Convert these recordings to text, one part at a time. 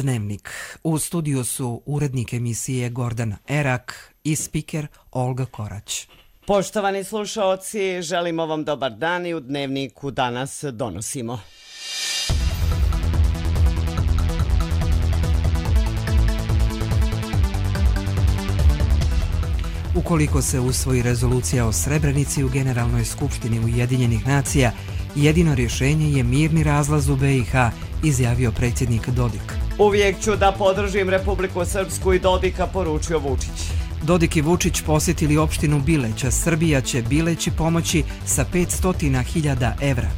Dnevnik. U studiju su urednik emisije Gordana Erak i spiker Olga Korać. Poštovani slušaoci, želimo vam dobar dan i u Dnevniku danas donosimo. Ukoliko se usvoji rezolucija o Srebrenici u Generalnoj skupštini Ujedinjenih nacija, jedino rješenje je mirni razlaz u BiH, izjavio predsjednik Dodik. Uvijek ću da podržim Republiku Srpsku i Dodika, poručio Vučić. Dodik i Vučić posjetili opštinu Bileća. Srbija će Bileći pomoći sa 500.000 evra.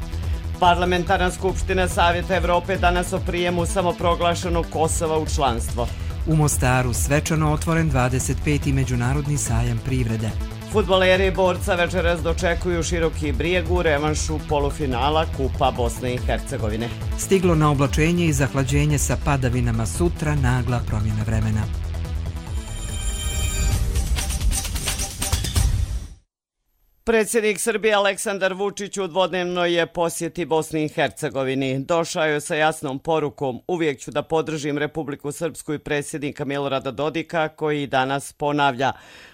Parlamentarna skupština Savjeta Evrope danas o prijemu samoproglašenog Kosova u članstvo. U Mostaru svečano otvoren 25. međunarodni sajam privrede. Fudbaleri Borca večeras dočekuju Široki Brijeg u revanšu polufinala Kupa Bosne i Hercegovine. Stiglo na oblačenje i zahlađenje sa padavinama, sutra nagla promjena vremena. Predsjednik Srbije Aleksandar Vučić u dvodnevnoj je posjeti Bosni i Hercegovini. Došao je sa jasnom porukom: uvijek ću da podržim Republiku Srpsku i predsjednika Milorada Dodika, koji danas ponavlja: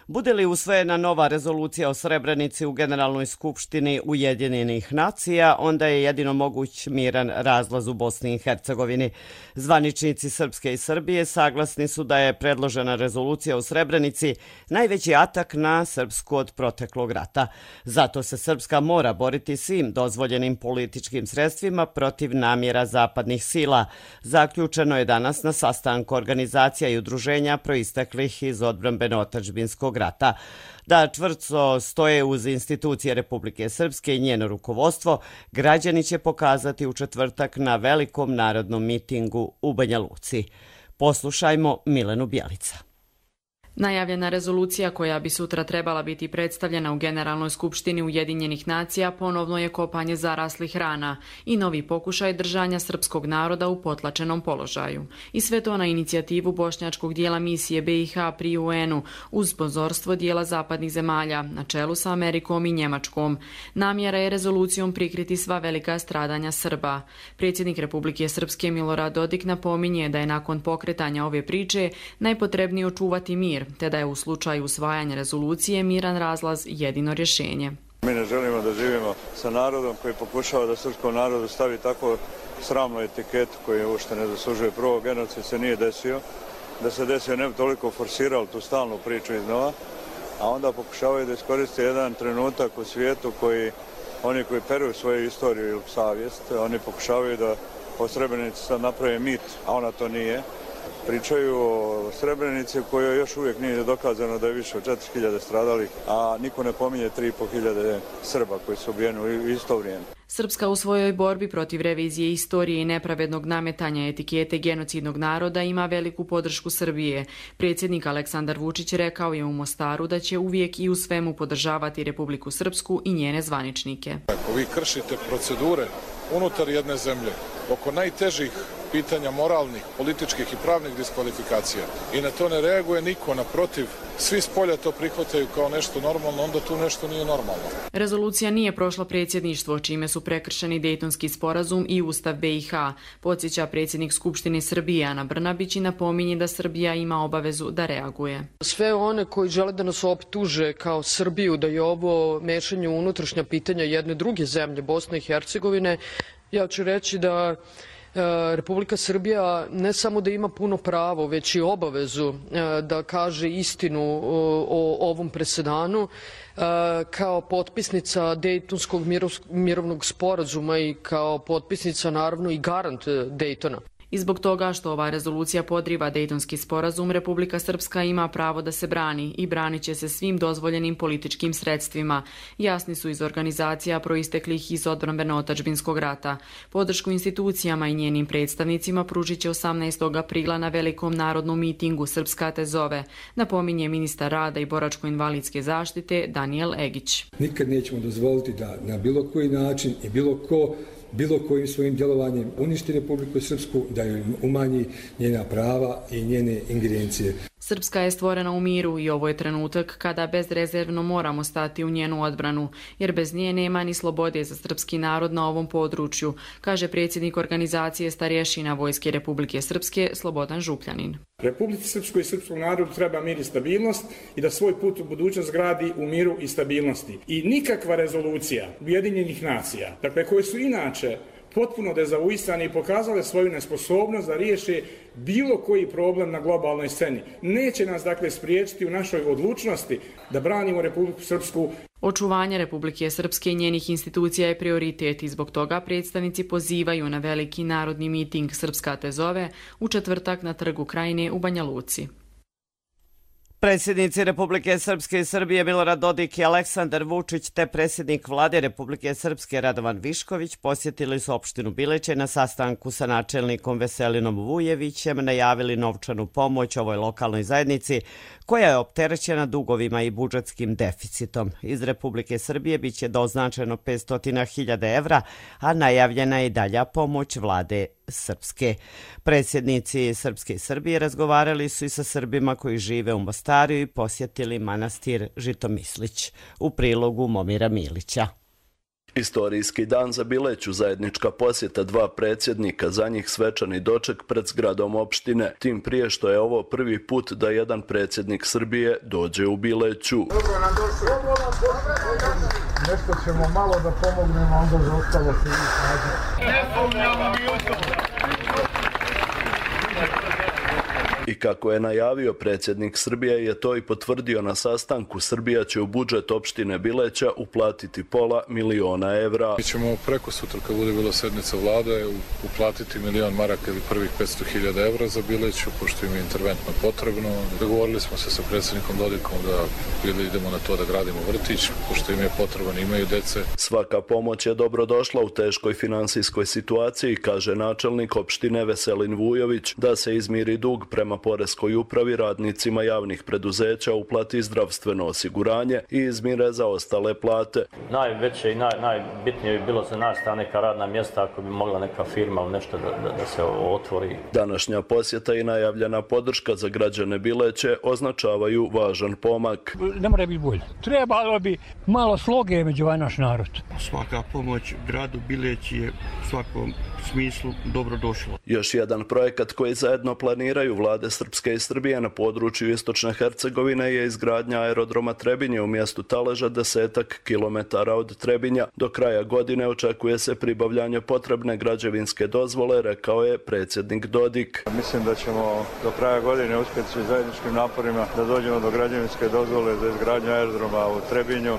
bude li usvojena nova rezolucija o Srebrenici u Generalnoj skupštini Ujedinjenih nacija, onda je jedino moguć miran razlaz u Bosni i Hercegovini. Zvaničnici Srpske i Srbije saglasni su da je predložena rezolucija o Srebrenici najveći atak na Srpsku od proteklog rata. Zato se Srpska mora boriti svim dozvoljenim političkim sredstvima protiv namjera zapadnih sila. Zaključeno je danas na sastanku organizacija i udruženja proisteklih iz odbrambeno-otadžbinskog rata. Da čvrsto stoje uz institucije Republike Srpske i njeno rukovodstvo, građani će pokazati u četvrtak na velikom narodnom mitingu u Banja Luci. Poslušajmo Milenu Bjelica. Najavljena rezolucija koja bi sutra trebala biti predstavljena u Generalnoj skupštini Ujedinjenih nacija ponovno je kopanje zaraslih rana i novi pokušaj držanja srpskog naroda u potlačenom položaju. I sve to na inicijativu bošnjačkog dijela misije BiH pri UN-u uz sponzorstvo dijela zapadnih zemalja na čelu sa Amerikom i Njemačkom. Namjera je rezolucijom prikriti sva velika stradanja Srba. Predsjednik Republike Srpske Milorad Dodik napominje da je nakon pokretanja ove priče najpotrebnije očuvati mir, te da je u slučaju usvajanja rezolucije miran razlaz jedino rješenje. Mi ne želimo da živimo sa narodom koji pokušava da srpskom narodu stavi tako sramnu etiketu koju uopšte ne zaslužuje. Prvo, genocid se nije desio, da se desio ne bi toliko forsirali tu stalnu priču iznova, a onda pokušavaju da iskoriste jedan trenutak u svijetu koji oni koji peruju svoju istoriju ili savjest, oni pokušavaju da o Srebrenici sad naprave mit, a ona to nije. Pričaju o Srebrenici u kojoj još uvijek nije dokazano da je više od 4.000 stradalih, a niko ne pominje 3.500 Srba koji su ubijeni u isto vrijeme. Srpska u svojoj borbi protiv revizije istorije i nepravednog nametanja etikete genocidnog naroda ima veliku podršku Srbije. Predsjednik Aleksandar Vučić rekao je u Mostaru da će uvijek i u svemu podržavati Republiku Srpsku i njene zvaničnike. Ako vi kršite procedure unutar jedne zemlje oko najtežih pitanja moralnih, političkih i pravnih diskvalifikacija i na to ne reaguje niko, naprotiv, svi s polja to prihvataju kao nešto normalno, onda tu nešto nije normalno. Rezolucija nije prošla predsjedništvo, čime su prekršeni Dejtonski sporazum i Ustav BiH, podsjeća predsjednik Skupštine Srbije Ana Brnabić i napominje da Srbija ima obavezu da reaguje. Sve one koji žele da nas optuže kao Srbiju da je ovo mešanje u unutrašnja pitanja jedne druge zemlje, Bosne i Hercegovine, ja ću reći da Republika Srbija ne samo da ima puno pravo, već i obavezu da kaže istinu o ovom presedanu kao potpisnica Dejtonskog mirovnog sporazuma i kao potpisnica naravno i garant Dejtona. I zbog toga što ova rezolucija podriva Dejtonski sporazum, Republika Srpska ima pravo da se brani i branit će se svim dozvoljenim političkim sredstvima. Jasni su iz organizacija proisteklih iz odbrambeno-otadžbinskog rata. Podršku institucijama i njenim predstavnicima pružit će 18. aprila na velikom narodnom mitingu Srpska te zove, napominje ministar rada i boračko-invalidske zaštite Danijel Egić. Nikad nećemo dozvoliti da na bilo koji način i bilo kojim svojim djelovanjem uništi Republiku Srpsku, da joj umanji njena prava i njene ingerencije. Srpska je stvorena u miru i ovo je trenutak kada bezrezervno moramo stati u njenu odbranu, jer bez nje nema ni slobode za srpski narod na ovom području, kaže predsjednik organizacije starješina Vojske Republike Srpske Slobodan Župljanin. Republici Srpskoj i srpskom narodu treba mir i stabilnost i da svoj put u budućnost gradi u miru i stabilnosti. I nikakva rezolucija Ujedinjenih nacija, dakle koje su inače potpuno dezavuisane i pokazale svoju nesposobnost da riješe bilo koji problem na globalnoj sceni, neće nas dakle spriječiti u našoj odlučnosti da branimo Republiku Srpsku. Očuvanje Republike Srpske i njenih institucija je prioritet i zbog toga predstavnici pozivaju na veliki narodni miting Srpska te zove u četvrtak na Trgu Krajine u Banja Luci. Predsjednici Republike Srpske i Srbije Milorad Dodik i Aleksandar Vučić te predsjednik Vlade Republike Srpske Radovan Višković posjetili su opštinu Bileće na sastanku sa načelnikom Veselinom Vujevićem, najavili novčanu pomoć ovoj lokalnoj zajednici koja je opterećena dugovima i budžetskim deficitom. Iz Republike Srbije biće doznačeno 500.000 evra, a najavljena je i dalja pomoć Vlade Srpske. Predsjednici Srpske i Srbije razgovarali su i sa Srbima koji žive u Mostaru i posjetili manastir Žitomislić. U prilogu Momira Milića. Istorijski dan za Bileću, zajednička posjeta dva predsjednika, za njih svečani doček pred zgradom opštine, tim prije što je ovo prvi put da jedan predsjednik Srbije dođe u Bileću. Dobro nam došli. Nešto ćemo malo da pomognemo, onda za ostalo se vi snađe. Ne pomljamo mi u to. I kako je najavio predsjednik Srbije je to i potvrdio na sastanku. Srbija će u budžet opštine Bileća uplatiti $500.000 evra. Mi ćemo preko sutra, kad bude bila sednica vlade, uplatiti 1.000.000 maraka ili prvih 500.000 evra za Bileću, pošto im je interventno potrebno. Dogovorili smo se sa predsjednikom Dodikom da idemo na to da gradimo vrtić, pošto im je potreban, imaju dece. Svaka pomoć je dobro došla u teškoj finansijskoj situaciji, kaže načelnik opštine Veselin Vujović, da se izmiri dug prema poreskoj upravi, radnicima javnih preduzeća uplati zdravstveno osiguranje i izmire za ostale plate. Najveće i najbitnije bi bilo za nas ta neka radna mjesta, ako bi mogla neka firma u nešto da se otvori. Današnja posjeta i najavljena podrška za građane Bileće označavaju važan pomak. Ne mora biti bolje. Trebalo bi malo sloge među naš narod. Svaka pomoć gradu Bileći je u svakom smislu dobro došla. Još jedan projekat koji zajedno planiraju vlade Srpske i Srbije na području Istočne Hercegovine je izgradnja aerodroma Trebinje u mjestu Taleža, 10 kilometara od Trebinja. Do kraja godine očekuje se pribavljanje potrebne građevinske dozvole, rekao je predsjednik Dodik. Mislim da ćemo do kraja godine uspjeti svi zajedničkim naporima da dođemo do građevinske dozvole za izgradnju aerodroma u Trebinju,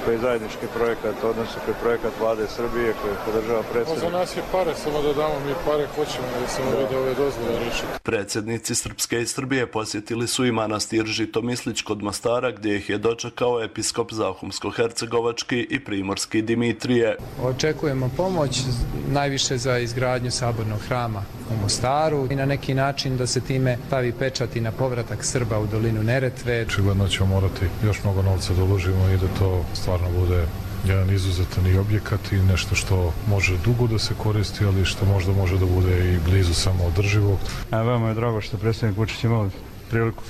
koji je zajednički projekat, odnosno koji je projekat vlade Srbije koji podržava predsjednik. Za nas je pare, samo da damo mi pare, hoćemo da se ovdje ove dozvole rešiti. Predsjednici Srpske i Srbije posjetili su i manastir Žitomislić kod Mostara, gdje ih je dočekao episkop Zahumsko-hercegovački i primorski Dimitrije. Očekujemo pomoć najviše za izgradnju sabornog hrama u Mostaru i na neki način da se time stavi pečat i na povratak Srba u dolinu Neretve. Očigledno ćemo morati još mnogo novca da uložimo i da to stvarno bude jedan izuzetan objekat i nešto što može dugo da se koristi, ali što možda može da bude i blizu samoodrživog. Veoma je drago što predsjednik Vučić imao priliku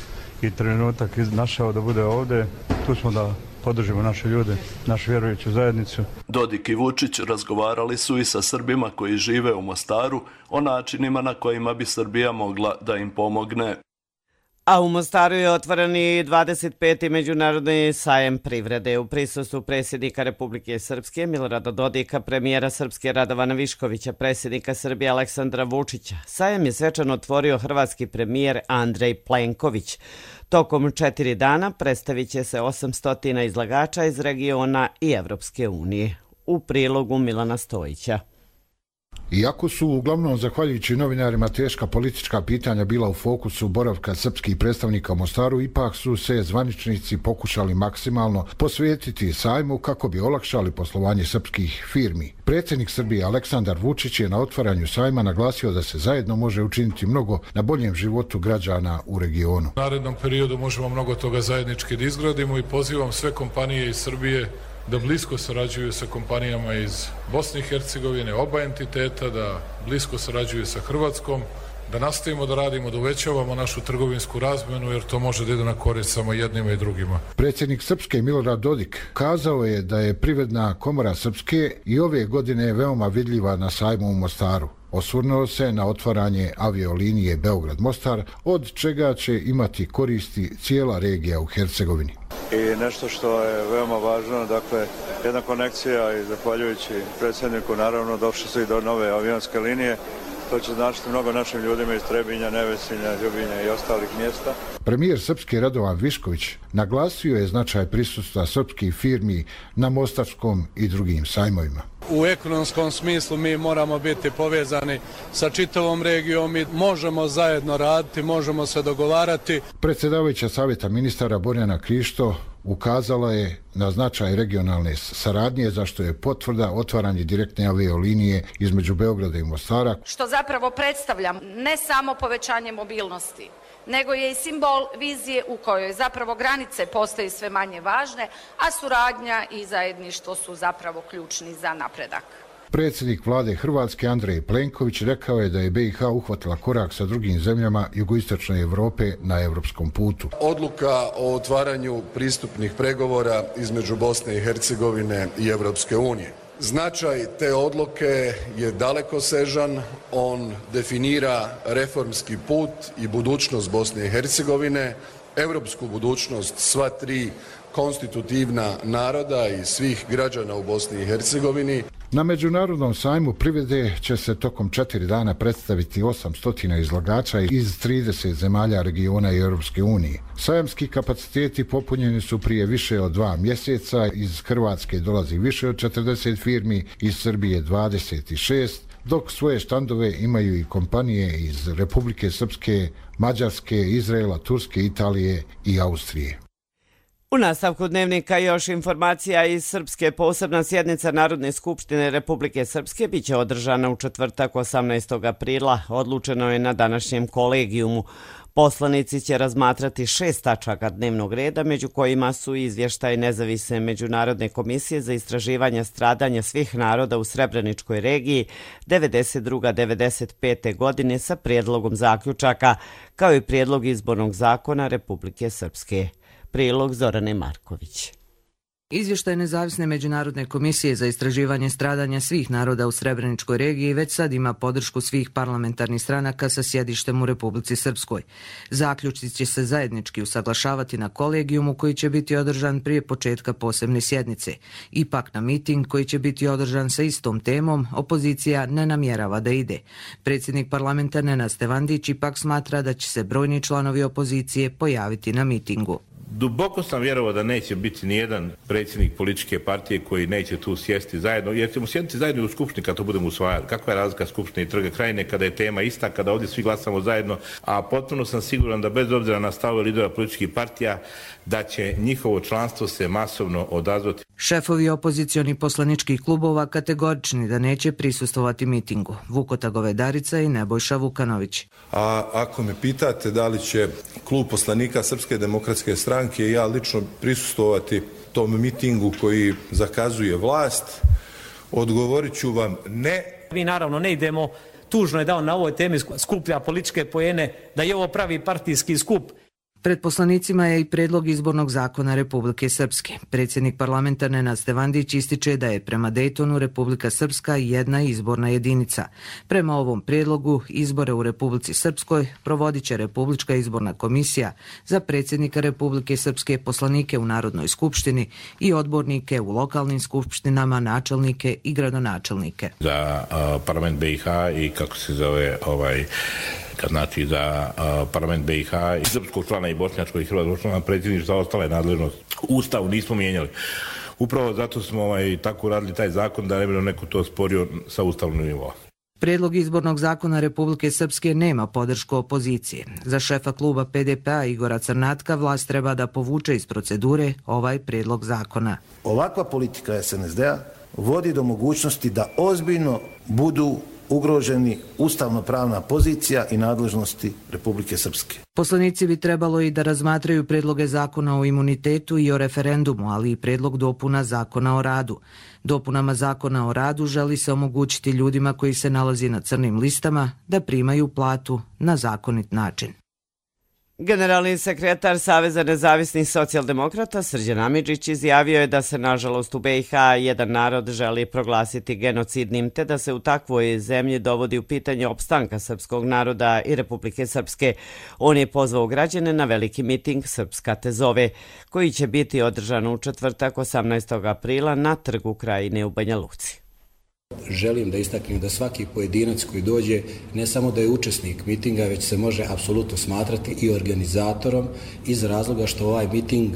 i trenutak našao da bude ovdje. Tu smo da podržimo naše ljude, našu vjerujuću zajednicu. Dodik i Vučić razgovarali su i sa Srbima koji žive u Mostaru o načinima na kojima bi Srbija mogla da im pomogne. A u Mostaru je otvoren i 25. međunarodni sajem privrede. U prisustvu predsjednika Republike Srpske Milorada Dodika, premijera Srpske Radovana Viškovića, predsjednika Srbije Aleksandra Vučića. Sajem je svečano otvorio hrvatski premijer Andrej Plenković. Tokom 4 dana predstavit će se 800 izlagača iz regiona i Evropske unije. U prilogu Milana Stojića. Iako su uglavnom zahvaljujući novinarima teška politička pitanja bila u fokusu boravka srpskih predstavnika u Mostaru, ipak su se zvaničnici pokušali maksimalno posvetiti sajmu kako bi olakšali poslovanje srpskih firmi. Predsjednik Srbije Aleksandar Vučić je na otvaranju sajma naglasio da se zajedno može učiniti mnogo na boljem životu građana u regionu. U narednom periodu možemo mnogo toga zajednički da izgradimo i pozivam sve kompanije iz Srbije da blisko sarađuju sa kompanijama iz Bosne i Hercegovine, oba entiteta, da blisko sarađuju sa Hrvatskom da nastavimo da radimo, da uvećavamo našu trgovinsku razmenu, jer to može da ide na korist samo jednima i drugima. Predsjednik Srpske Milorad Dodik kazao je da je Privredna komora Srpske i ove godine veoma vidljiva na sajmu u Mostaru. Osvrnuo se na otvaranje aviolinije Beograd-Mostar, od čega će imati koristi cijela regija u Hercegovini. I nešto što je veoma važno, dakle, jedna konekcija i zahvaljujući predsjedniku, naravno, došli su i do nove avionske linije. To će značiti mnogo našim ljudima iz Trebinja, Nevesinja, Ljubinja i ostalih mjesta. Premijer Srpske Radovan Višković naglasio je značaj prisustva srpskih firmi na Mostarskom i drugim sajmovima. U ekonomskom smislu mi moramo biti povezani sa čitavom regijom i možemo zajedno raditi, možemo se dogovarati. Predsjedavajuća savjeta ministara Borjana Krišto ukazala je na značaj regionalne saradnje, za što je potvrda otvaranje direktne aviolinije između Beograda i Mostara. Što zapravo predstavlja ne samo povećanje mobilnosti, nego je i simbol vizije u kojoj zapravo granice postaju sve manje važne, a suradnja i zajedništvo su zapravo ključni za napredak. Predsjednik vlade Hrvatske Andrej Plenković rekao je da je BiH uhvatila korak sa drugim zemljama jugoistočne Europe na europskom putu. Odluka o otvaranju pristupnih pregovora između Bosne i Hercegovine i Europske unije. Značaj te odluke je dalekosežan, on definira reformski put i budućnost Bosne i Hercegovine, europsku budućnost sva tri konstitutivna naroda i svih građana u Bosni i Hercegovini. Na Međunarodnom sajmu privrede će se tokom 4 dana predstaviti 800 izlagača iz 30 zemalja regiona i Europske unije. Sajamski kapaciteti popunjeni su prije više od 2 mjeseca, iz Hrvatske dolazi više od 40 firmi, iz Srbije 26, dok svoje štandove imaju i kompanije iz Republike Srpske, Mađarske, Izraela, Turske, Italije i Austrije. U nastavku dnevnika još informacija iz Srpske. Posebna sjednica Narodne skupštine Republike Srpske biće održana u četvrtak 18. aprila. Odlučeno je na današnjem kolegijumu. Poslanici će razmatrati 6 tačaka dnevnog reda, među kojima su izvještaj nezavisne Međunarodne komisije za istraživanje stradanja svih naroda u Srebreničkoj regiji 92-95. godine sa prijedlogom zaključaka, kao i prijedlog izbornog zakona Republike Srpske. Prilog Zorane Marković. Izvještaj nezavisne Međunarodne komisije za istraživanje stradanja svih naroda u Srebreničkoj regiji već sad ima podršku svih parlamentarnih stranaka sa sjedištem u Republici Srpskoj. Zaključci će se zajednički usaglašavati na kolegijumu koji će biti održan prije početka posebne sjednice. Ipak na miting koji će biti održan sa istom temom, opozicija ne namjerava da ide. Predsjednik parlamenta Nenad Stevandić ipak smatra da će se brojni članovi opozicije pojaviti na mitingu. Duboko sam vjerovao da neće biti nijedan predsjednik političke partije koji neće tu sjesti zajedno, jer ćemo sjediti zajedno u skupštini kad to budemo usvajali. Kakva je razlika Skupštine i Trga Krajine kada je tema ista, kada ovdje svi glasamo zajedno, a potpuno sam siguran da bez obzira na stavove lidera političkih partija, da će njihovo članstvo se masovno odazvati. Šefovi opozicioni poslaničkih klubova kategorični da neće prisustvovati mitingu. Vukota Govedarica i Nebojša Vukanović. A ako me pitate da li će klub poslanika Srpske demokratske stranke i ja lično prisustvovati tom mitingu koji zakazuje vlast, odgovorit ću vam ne. Mi naravno ne idemo, tužno je da on na ovoj temi skuplja političke poene, da je ovo pravi partijski skup. Pred poslanicima je i predlog izbornog zakona Republike Srpske. Predsjednik parlamenta Nenad Stevandić ističe da je prema Dejtonu Republika Srpska jedna izborna jedinica. Prema ovom predlogu izbore u Republici Srpskoj provodit će Republička izborna komisija za predsjednika Republike Srpske, poslanike u Narodnoj skupštini i odbornike u lokalnim skupštinama, načelnike i gradonačelnike. Za parlament BiH i kako se zove znači za parlament BiH i srpskog člana i bošnjačkog i hrvatskog člana predsjedništva, za ostale nadležnosti. Ustav nismo mijenjali. Upravo zato smo tako radili taj zakon da ne bi neko to sporio sa ustavnog nivoa. Prijedlog izbornog zakona Republike Srpske nema podršku opozicije. Za šefa kluba PDP-a Igora Crnatka vlast treba da povuče iz procedure ovaj prijedlog zakona. Ovakva politika SNSD-a vodi do mogućnosti da ozbiljno budu ugroženi ustavno-pravna pozicija i nadležnosti Republike Srpske. Poslanici bi trebalo i da razmatraju predloge zakona o imunitetu i o referendumu, ali i predlog dopuna zakona o radu. Dopunama zakona o radu želi se omogućiti ljudima koji se nalazi na crnim listama da primaju platu na zakonit način. Generalni sekretar Saveza nezavisnih socijaldemokrata Srđan Amidžić izjavio je da se nažalost u BiH jedan narod želi proglasiti genocidnim te da se u takvoj zemlji dovodi u pitanje opstanka srpskog naroda i Republike Srpske. On je pozvao građane na veliki miting Srpska te zove, koji će biti održan u četvrtak 18. aprila na Trgu Krajine u Banja Luci. Želim da istaknem da svaki pojedinac koji dođe ne samo da je učesnik mitinga, već se može apsolutno smatrati i organizatorom iz razloga što ovaj miting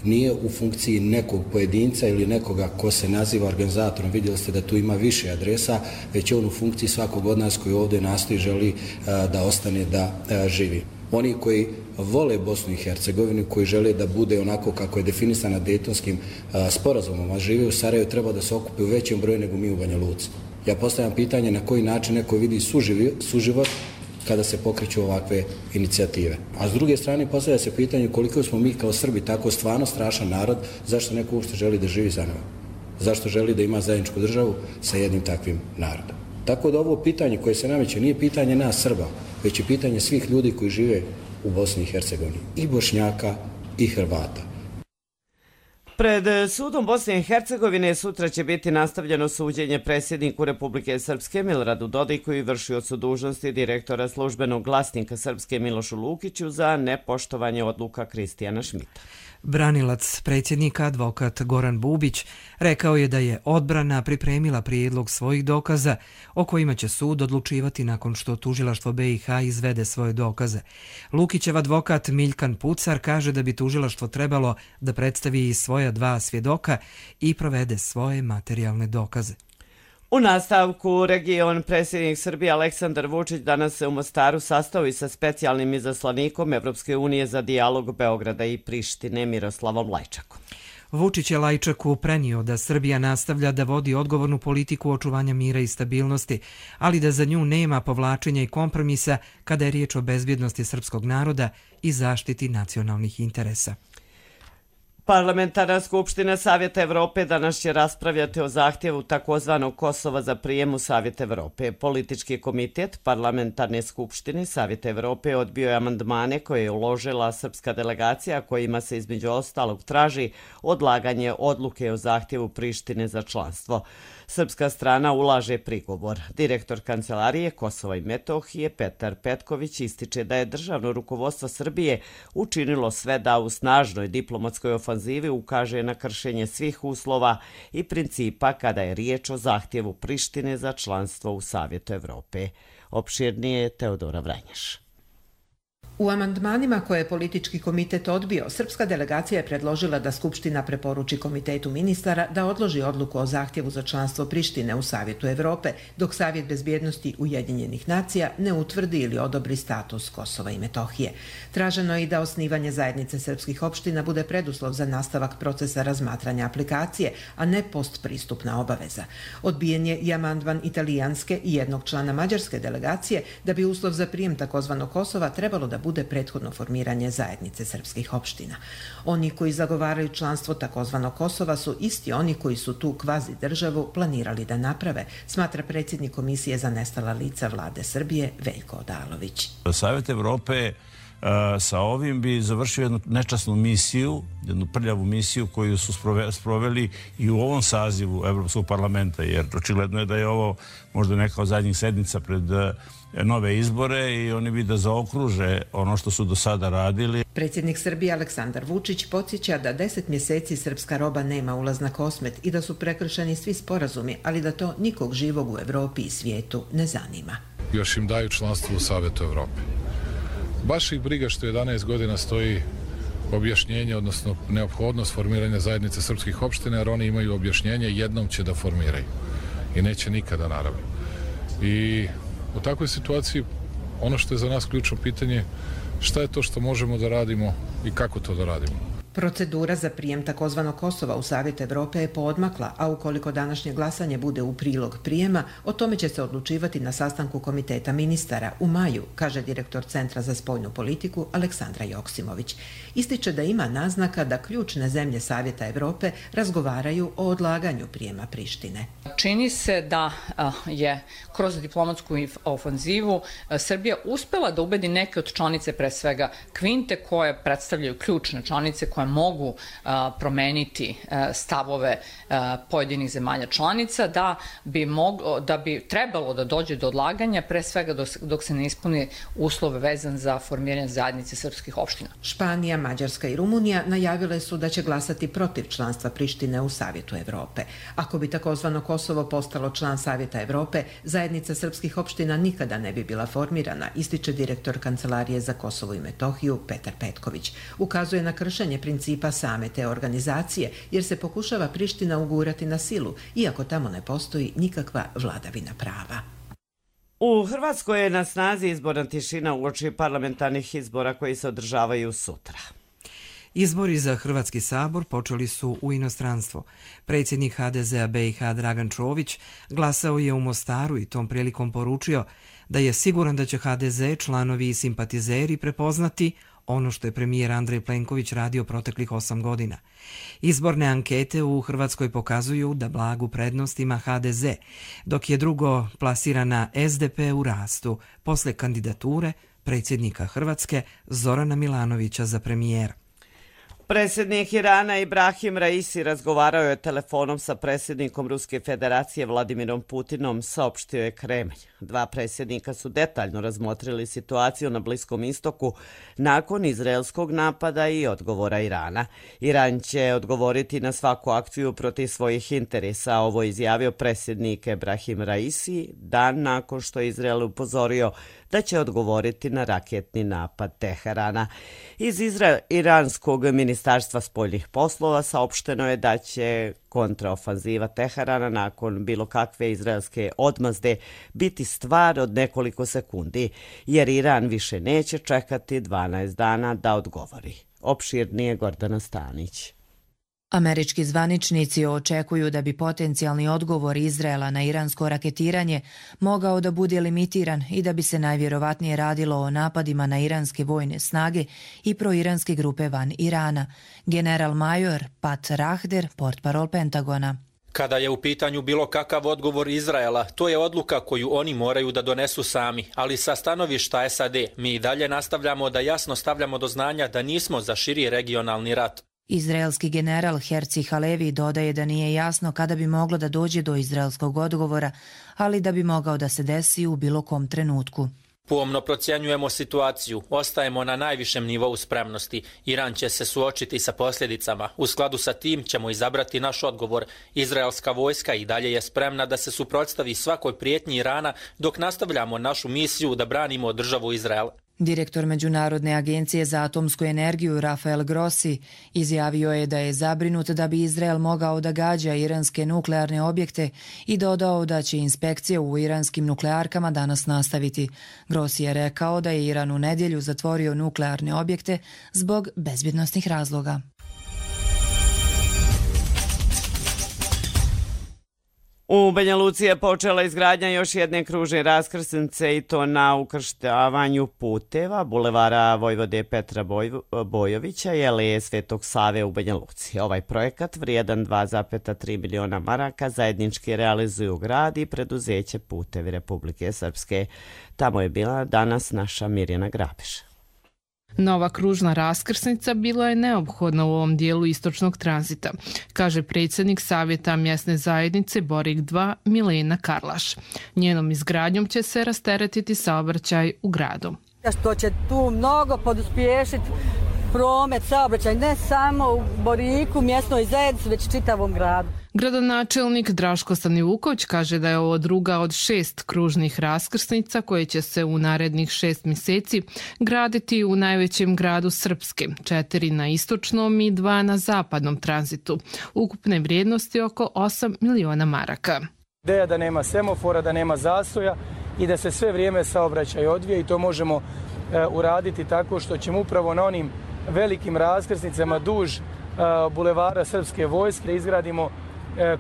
nije u funkciji nekog pojedinca ili nekoga ko se naziva organizatorom. Vidjeli ste da tu ima više adresa, već je on u funkciji svakog od nas koji ovdje nastoji želi da ostane da živi. Oni koji vole Bosnu i Hercegovinu, koji žele da bude onako kako je definisana Dejtonskim sporazumom, a žive u Sarajevu, treba da se okupe u većem broju nego mi u Banja Luci. Ja postavljam pitanje na koji način neko vidi suživot kada se pokreću ovakve inicijative. A s druge strane postavlja se pitanje koliko smo mi kao Srbi tako stvarno strašan narod, zašto neko uopšte želi da živi za nama? Zašto želi da ima zajedničku državu sa jednim takvim narodom? Tako da ovo pitanje koje se nameće nije pitanje nas Srba, već je pitanje svih ljudi koji žive u Bosni i Hercegovini, i Bošnjaka i Hrvata. Pred sudom Bosne i Hercegovine sutra će biti nastavljeno suđenje predsjedniku Republike Srpske Miloradu Dodiku i vršiocu dužnosti direktora službenog glasnika Srpske Milošu Lukiću za nepoštovanje odluka Kristijana Šmita. Branilac predsjednika, advokat Goran Bubić, rekao je da je odbrana pripremila prijedlog svojih dokaza o kojima će sud odlučivati nakon što tužilaštvo BiH izvede svoje dokaze. Lukićev advokat Miljkan Pucar kaže da bi tužilaštvo trebalo da predstavi i svoja dva svjedoka i provede svoje materijalne dokaze. U nastavku region predsjednik Srbije Aleksandar Vučić danas se u Mostaru sastao i sa specijalnim izaslanikom Evropske unije za dijalog Beograda i Prištine Miroslavom Lajčakom. Vučić je Lajčaku prenio da Srbija nastavlja da vodi odgovornu politiku očuvanja mira i stabilnosti, ali da za nju nema povlačenja i kompromisa kada je riječ o bezbjednosti srpskog naroda i zaštiti nacionalnih interesa. Parlamentarna skupština Savjeta Evrope danas će raspravljati o zahtjevu takozvanog Kosova za prijem u Savjet Evrope. Politički komitet Parlamentarne skupštine Savjeta Evrope odbio je amandmane koje je uložila srpska delegacija kojima se između ostalog traži odlaganje odluke o zahtjevu Prištine za članstvo. Srpska strana ulaže prigovor. Direktor Kancelarije Kosova i Metohije Petar Petković ističe da je državno rukovodstvo Srbije učinilo sve da u snažnoj diplomatskoj ofanzivi ukaže na kršenje svih uslova i principa kada je riječ o zahtjevu Prištine za članstvo u Savjetu Evrope. Opširnije Teodora Vranjaš. U amandmanima koje je politički komitet odbio, srpska delegacija je predložila da Skupština preporuči Komitetu ministara da odloži odluku o zahtjevu za članstvo Prištine u Savjetu Evrope, dok Savjet bezbjednosti Ujedinjenih nacija ne utvrdi ili odobri status Kosova i Metohije. Traženo je i da osnivanje zajednice srpskih opština bude preduslov za nastavak procesa razmatranja aplikacije, a ne postpristupna obaveza. Odbijen je i amandman italijanske i jednog člana mađarske delegacije da bi uslov za prijem takozvanog Kosova trebalo da bude prethodno formiranje zajednice srpskih opština. Oni koji zagovaraju članstvo takozvanog Kosova su isti oni koji su tu kvazi državu planirali da naprave, smatra predsjednik Komisije za nestala lica vlade Srbije Veljko Odalović. Savjet Evrope sa ovim bi završio jednu nečasnu misiju, jednu prljavu misiju koju su sproveli i u ovom sazivu Evropskog parlamenta, jer očigledno je da je ovo možda neka od zadnjih sednica pred nove izbore i oni bi da zaokruže ono što su do sada radili. Predsjednik Srbije Aleksandar Vučić podsjeća da 10 mjeseci srpska roba nema ulaz na Kosmet i da su prekršeni svi sporazumi, ali da to nikog živog u Evropi i svijetu ne zanima. Još im daju članstvo u Savjetu Evrope. Baš ih briga što 11 godina stoji objašnjenje, odnosno neophodnost formiranja zajednice srpskih opština, jer oni imaju objašnjenje, jednom će da formiraju i neće nikada, naravno. I u takvoj situaciji ono što je za nas ključno pitanje, šta je to što možemo da radimo i kako to da radimo. Procedura za prijem takozvanog Kosova u Savjet Evrope je poodmakla, a ukoliko današnje glasanje bude u prilog prijema, o tome će se odlučivati na sastanku Komiteta ministara u maju, kaže direktor Centra za spoljnu politiku Aleksandra Joksimović. Ističe da ima naznaka da ključne zemlje Savjeta Evrope razgovaraju o odlaganju prijema Prištine. Čini se da je kroz diplomatsku ofanzivu Srbija uspela da ubedi neke od članice, pre svega Kvinte, koje predstavljaju ključne članice koje mogu promeniti stavove pojedinih zemalja članica, da bi trebalo da dođe do odlaganja, pre svega dok se ne ispuni uslove vezan za formiranje zajednice srpskih opština. Španija, Mađarska i Rumunija najavile su da će glasati protiv članstva Prištine u Savjetu Evrope. Ako bi takozvano Kosovo postalo član Savjeta Evrope, zajednica srpskih opština nikada ne bi bila formirana, ističe direktor Kancelarije za Kosovo i Metohiju Petar Petković. Ukazuje na kršenje principa same te organizacije, jer se pokušava Priština ugurati na silu, iako tamo ne postoji nikakva vladavina prava. U Hrvatskoj je na snazi izborna tišina uoči parlamentarnih izbora koji se održavaju sutra. Izbori za Hrvatski sabor počeli su u inostranstvo. Predsjednik HDZ-a BiH Dragan Čović glasao je u Mostaru i tom prilikom poručio da je siguran da će HDZ, članovi i simpatizeri prepoznati ono što je premijer Andrej Plenković radio proteklih 8 godina. Izborne ankete u Hrvatskoj pokazuju da blagu prednost ima HDZ, dok je drugo plasirana SDP u rastu posle kandidature predsjednika Hrvatske Zorana Milanovića za premijera. Predsjednik Irana Ibrahim Raisi razgovarao je telefonom sa predsjednikom Ruske federacije Vladimirom Putinom, saopštio je Kremlj. Dva predsjednika su detaljno razmotrili situaciju na Bliskom istoku nakon izraelskog napada i odgovora Irana. Iran će odgovoriti na svaku akciju protiv svojih interesa, ovo je izjavio predsjednik Ibrahim Raisi dan nakon što je Izrael upozorio da će odgovoriti na raketni napad Teherana. Iz iranskog ministarstva spoljnih poslova saopšteno je da će kontraofanziva Teherana nakon bilo kakve izraelske odmazde biti stvar od nekoliko sekundi, jer Iran više neće čekati 12 dana da odgovori. Opširnije Gordana Stanić. Američki zvaničnici očekuju da bi potencijalni odgovor Izraela na iransko raketiranje mogao da bude limitiran i da bi se najvjerovatnije radilo o napadima na iranske vojne snage i proiranske grupe van Irana. General major Pat Rahder, portparol Pentagona. Kada je u pitanju bilo kakav odgovor Izraela, to je odluka koju oni moraju da donesu sami, ali sa stanovišta SAD mi i dalje nastavljamo da jasno stavljamo do znanja da nismo za širi regionalni rat. Izraelski general Herci Halevi dodaje da nije jasno kada bi moglo da dođe do izraelskog odgovora, ali da bi mogao da se desi u bilo kom trenutku. Pomno procjenjujemo situaciju, ostajemo na najvišem nivou spremnosti. Iran će se suočiti sa posljedicama. U skladu sa tim ćemo izabrati naš odgovor. Izraelska vojska i dalje je spremna da se suprotstavi svakoj prijetnji Irana dok nastavljamo našu misiju da branimo državu Izrael. Direktor Međunarodne agencije za atomsku energiju Rafael Grossi izjavio je da je zabrinut da bi Izrael mogao da gađa iranske nuklearne objekte i dodao da će inspekcije u iranskim nuklearkama danas nastaviti. Grossi je rekao da je Iran u nedjelju zatvorio nuklearne objekte zbog bezbjednosnih razloga. U Banja Luci je počela izgradnja još jedne kružne raskrsnice i to na ukrštavanju puteva bulevara Vojvode Petra Bojovića i Aleje Svetog Save u Banja Luci. Ovaj projekat vrijedan 2,3 miliona maraka zajednički realizuju grad i preduzeće Putevi Republike Srpske. Tamo je bila danas naša Mirjana Grabiš. Nova kružna raskrsnica bila je neophodna u ovom dijelu istočnog tranzita, kaže predsjednik Savjeta mjesne zajednice Borik 2 Milena Karlaš. Njenom izgradnjom će se rasteretiti saobraćaj u gradu. Što će tu mnogo poduspješiti promet, saobraćaj, ne samo u Boriku, mjesnoj zajednici, već čitavom gradu. Gradonačelnik Draško Stanivuković kaže da je ovo druga od 6 kružnih raskrsnica koje će se u narednih 6 mjeseci graditi u najvećem gradu Srpske, 4 na istočnom i 2 na zapadnom tranzitu. Ukupne vrijednosti oko 8 miliona maraka. Ideja da nema semafora, da nema zastoja i da se sve vrijeme saobraćaj odvija i to možemo uraditi tako što ćemo upravo na onim velikim raskrsnicama duž bulevara Srpske vojske, da izgradimo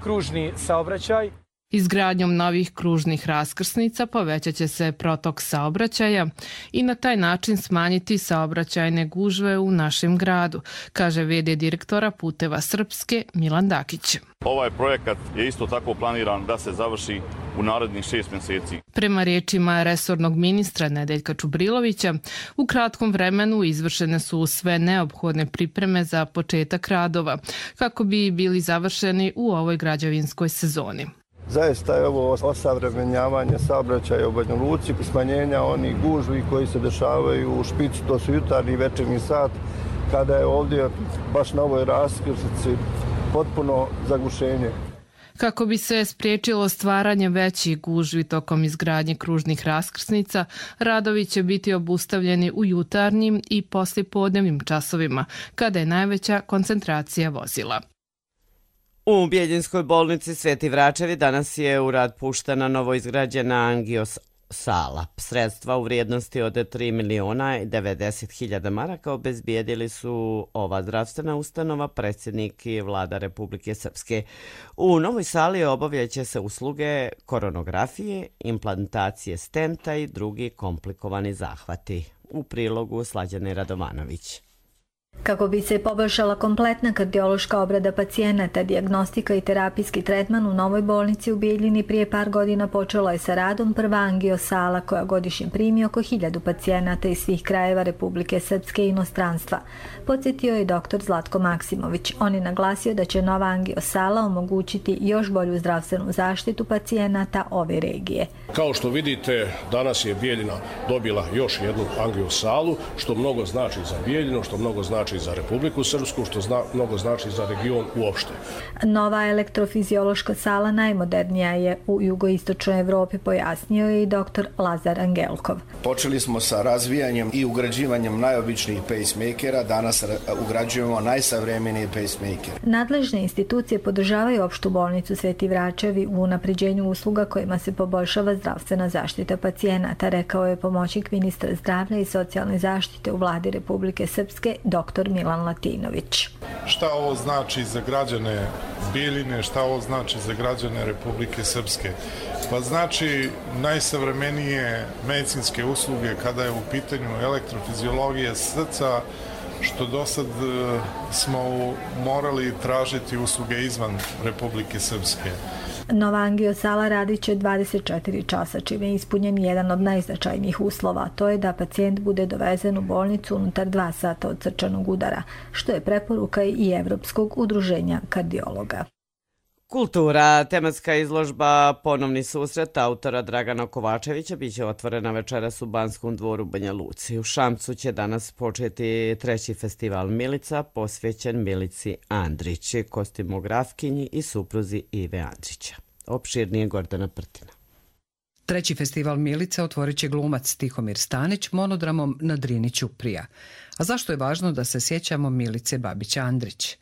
kružni saobraćaj. Izgradnjom novih kružnih raskrsnica povećat će se protok saobraćaja i na taj način smanjiti saobraćajne gužve u našem gradu, kaže v.d. direktora Puteva Srpske Milan Dakić. Ovaj projekat je isto tako planiran da se završi u narednih 6 mjeseci. Prema riječima resornog ministra Nedeljka Čubrilovića, u kratkom vremenu izvršene su sve neophodne pripreme za početak radova, kako bi bili završeni u ovoj građevinskoj sezoni. Zaista je ovo osavremenjavanje saobraćaja u Banja Luci, smanjenja onih gužvi koji se dešavaju u špici, to su jutarnji i večernji sat, kada je ovdje baš na ovoj raskrsnici potpuno zagušenje. Kako bi se spriječilo stvaranje većih gužvi tokom izgradnje kružnih raskrsnica, radovi će biti obustavljeni u jutarnjim i poslijepodnevnim časovima, kada je najveća koncentracija vozila. U Bijeljinskoj bolnici Sveti Vračevi danas je u rad puštena novoizgrađena angio-sala. Sredstva u vrijednosti od 3.090.000 maraka obezbijedili su ova zdravstvena ustanova, predsjednik i vlada Republike Srpske. U novoj sali obavljaće se usluge koronografije, implantacije stenta i drugi komplikovani zahvati. U prilogu Slađane Radovanović. Kako bi se poboljšala kompletna kardiološka obrada pacijenata, dijagnostika i terapijski tretman u novoj bolnici u Bijeljini prije par godina počela je sa radom prva angio-sala koja godišnje primi oko 1000 pacijenata iz svih krajeva Republike Srpske i inostranstva. Podsjetio je dr. Zlatko Maksimović. On je naglasio da će nova angio-sala omogućiti još bolju zdravstvenu zaštitu pacijenata ove regije. Kao što vidite, danas je Bijeljina dobila još jednu angio-salu, što mnogo znači za Bijeljinu, što mnogo znači za Republiku Srpsku, što mnogo znači za region uopšte. Nova elektrofiziološka sala najmodernija je u jugoistočnoj Evropi, pojasnio je i dr. Lazar Angelkov. Počeli smo sa razvijanjem i ugrađivanjem najobičnijih pacemakera, danas ugrađujemo najsavremenije pacemakere. Nadležne institucije podržavaju opštu bolnicu Sveti Vračevi u unapređenju usluga kojima se poboljšava zdravstvena zaštita pacijenata, rekao je pomoćnik ministra zdravlja i socijalne zaštite u vladi Republike Srpske, dr. Milan Latinović. Šta ovo znači za građane Bijeljine, šta ovo znači za građane Republike Srpske? Pa znači najsavremenije medicinske usluge kada je u pitanju elektrofiziologija srca, što do sad smo morali tražiti usluge izvan Republike Srpske. Nova angio-sala radit će 24 časa, čime je ispunjen jedan od najznačajnijih uslova. To je da pacijent bude dovezen u bolnicu unutar 2 sata od srčanog udara, što je preporuka i Evropskog udruženja kardiologa. Kultura, tematska izložba Ponovni susret autora Dragana Kovačevića biće otvorena večeras u Banskom dvoru Banja Luci. U Šamcu će danas početi 3. festival Milica posvećen Milici Andrić, kostimografkinji i supruzi Ive Andrića. Opširnije Gordana Prtina. 3. festival Milica otvorit će glumac Tihomir Stanić monodramom na Drini Ćuprija. A zašto je važno da se sjećamo Milice Babić-Andrić?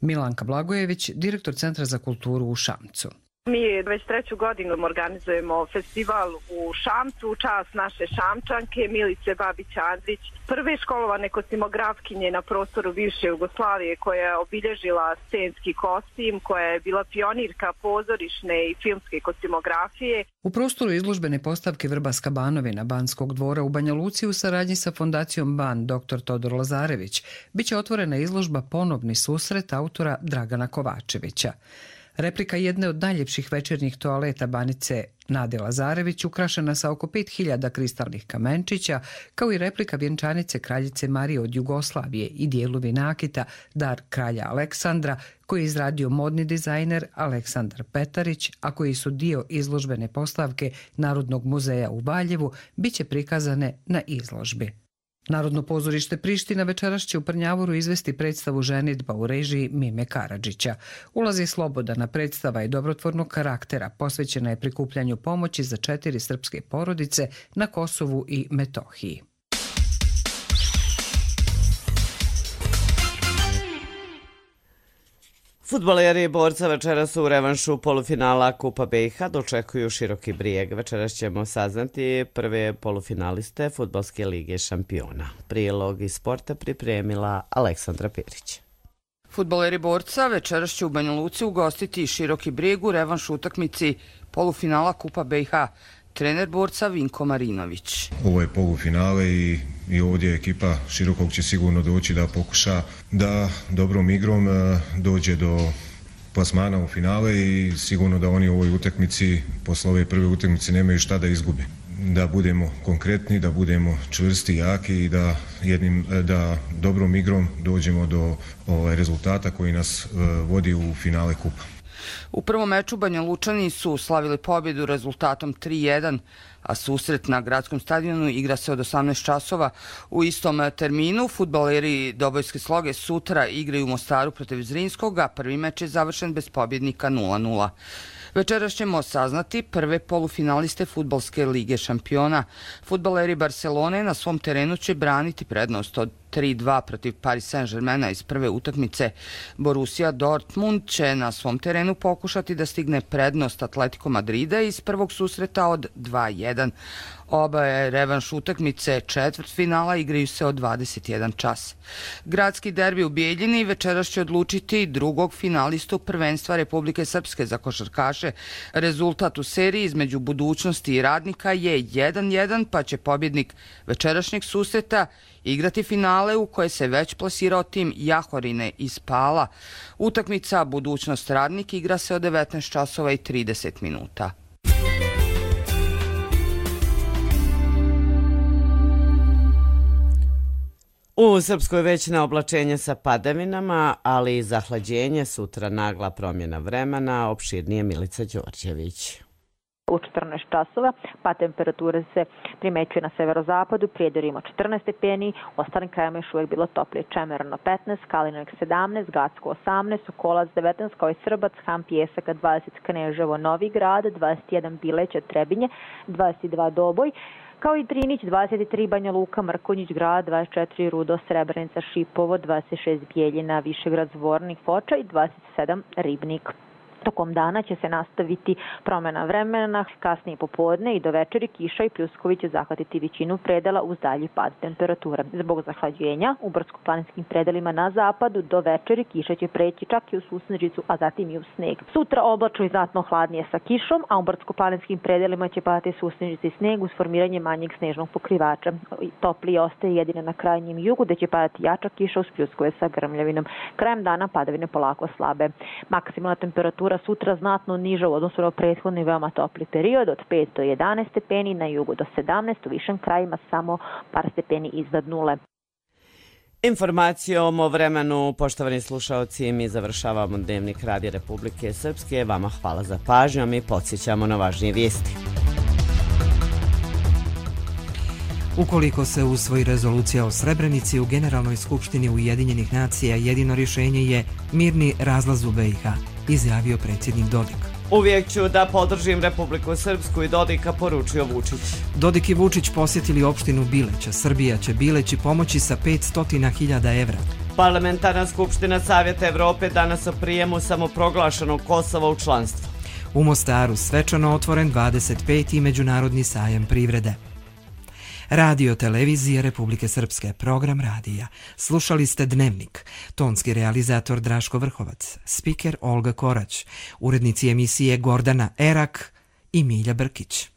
Milanka Blagojević, direktor Centra za kulturu u Šamcu. Mi već 3. godinu organizujemo festival u Šamcu u čast naše Šamčanke Milice Babić-Andrić, prve školovane kostimografkinje na prostoru bivše Jugoslavije koja je obilježila scenski kostim, koja je bila pionirka pozorišne i filmske kostimografije. U prostoru izložbene postavke Vrbaska Banovina Banskog dvora u Banja Luci u saradnji sa fondacijom Ban dr. Todor Lazarević biće otvorena izložba Ponovni susret autora Dragana Kovačevića. Replika jedne od najljepših večernjih toaleta Banice Nade Lazarević ukrašena sa oko 5000 kristalnih kamenčića, kao i replika vjenčanice kraljice Marije od Jugoslavije i dijelovi nakita dar kralja Aleksandra, koji je izradio modni dizajner Aleksandar Petarić, a koji su dio izložbene postavke Narodnog muzeja u Valjevu, bit će prikazane na izložbi. Narodno pozorište Priština večeras će u Prnjavoru izvesti predstavu Ženidba u režiji Mime Karadžića. Ulaz je slobodana, predstava je dobrotvornog karaktera, posvećena je prikupljanju pomoći za 4 srpske porodice na Kosovu i Metohiji. Fudbaleri Borca večeras u revanšu polufinala Kupa BiH dočekuju Široki Brijeg. Večeras ćemo saznati prve polufinaliste Fudbalske lige šampiona. Prilog iz sporta pripremila Aleksandra Perić. Fudbaleri Borca večeras će u Banja Luci ugostiti Široki Brijeg u revanšu utakmici polufinala Kupa BiH. Trener Borca Vinko Marinović. Ovo je polufinale i ovdje ekipa Širokog će sigurno doći da pokuša da dobrom igrom dođe do plasmana u finale i sigurno da oni u ovoj utakmici, posle ove prve utakmice, nemaju šta da izgube. Da budemo konkretni, da budemo čvrsti, jaki i da dobrom igrom dođemo do rezultata koji nas vodi u finale kupa. U prvom meču Banja Lučani su slavili pobjedu rezultatom 3-1, a susret na gradskom stadionu igra se od 18 časova. U istom terminu fudbaleri Dobojske Sloge sutra igraju u Mostaru protiv Zrinskog, a prvi meč je završen bez pobjednika 0-0. Večeras ćemo saznati prve polufinaliste Fudbalske lige šampiona. Fudbaleri Barcelone na svom terenu će braniti prednost od 3-2 protiv Paris Saint-Germaina iz prve utakmice. Borussia Dortmund će na svom terenu pokušati da stigne prednost Atletico Madrida iz prvog susreta od 2-1. Oba je revanš utakmice četvrtfinala igraju se od 21 čas. Gradski derbi u Bijeljini večeras će odlučiti drugog finalistu prvenstva Republike Srpske za košarkaše. Rezultat u seriji između Budućnosti i Radnika je 1-1, pa će pobjednik večerašnjeg susreta igrati finale u koje se već plasirao tim Jahorine iz Pala. Utakmica Budućnost Radnik igra se od 19 časova i 30 minuta. U Srpskoj već na oblačenje sa padavinama, ali i zahlađenje, sutra nagla promjena vremena, opširnije Milica Đorđević. U 14 časova, pa temperature se primećuje na severozapadu, Prijedor ima 14 stepeni, u ostalim krajima još uvijek bilo toplije. Čemerno 15, Kalinovik 17, Gacko 18, Sokolac 19, kao i Srbac, Han Pjesaka 20, Kneževo, Novi Grad, 21 Bileća, Trebinje, 22 Doboj, kao i Drinić, 23 Banja Luka, Mrkonjić Grad, 24 Rudo, Srebrenica, Šipovo, 26 Bijeljina, Višegrad, Zvornik, Foča i 27 Ribnik. Tokom dana će se nastaviti promjena vremena, kasnije popodne i do večeri kiša i pljuskovi će zahvatiti većinu predela uz dalji pad temperature. Zbog zahlađenja u brdsko-planinskim predelima na zapadu do večeri kiša će preći čak i u susnežicu, a zatim i u sneg. Sutra oblačno i znatno hladnije sa kišom, a u brdsko-planinskim predelima će padati susnežica i sneg uz formiranje manjeg snežnog pokrivača. Toplije ostaje jedino na krajnjem jugu, gde će padati jača kiša uz pljuskove sa grmljavinom. Krajem dana padavine polako slabe. Maksimalna temperatura sutra znatno niža u odnosu na prethodni veoma topli period od 5 do 11 stepeni, na jugu do 17, u višem krajima samo par stepeni iznad nule. Informacijom o vremenu, poštovani slušaoci, mi završavamo Dnevnik Radija Republike Srpske. Vama hvala za pažnju, a mi podsjećamo na važnije vijesti. Ukoliko se usvoji rezolucija o Srebrenici u Generalnoj skupštini Ujedinjenih nacija, jedino rješenje je mirni razlaz u BiH, izjavio predsjednik Dodik. Uvijek ću da podržim Republiku Srpsku i Dodika, poručio Vučić. Dodik i Vučić posjetili opštinu Bileća. Srbija će Bileći pomoći sa 500.000 evra. Parlamentarna skupština Savjeta Evrope danas o prijemu samoproglašenog Kosova u članstvo. U Mostaru svečano otvoren 25. međunarodni sajam privrede. Radio televizije Republike Srpske, program radija. Slušali ste Dnevnik. Tonski realizator Draško Vrhovac, spiker Olga Korać, urednici emisije Gordana Erak i Milja Brkić.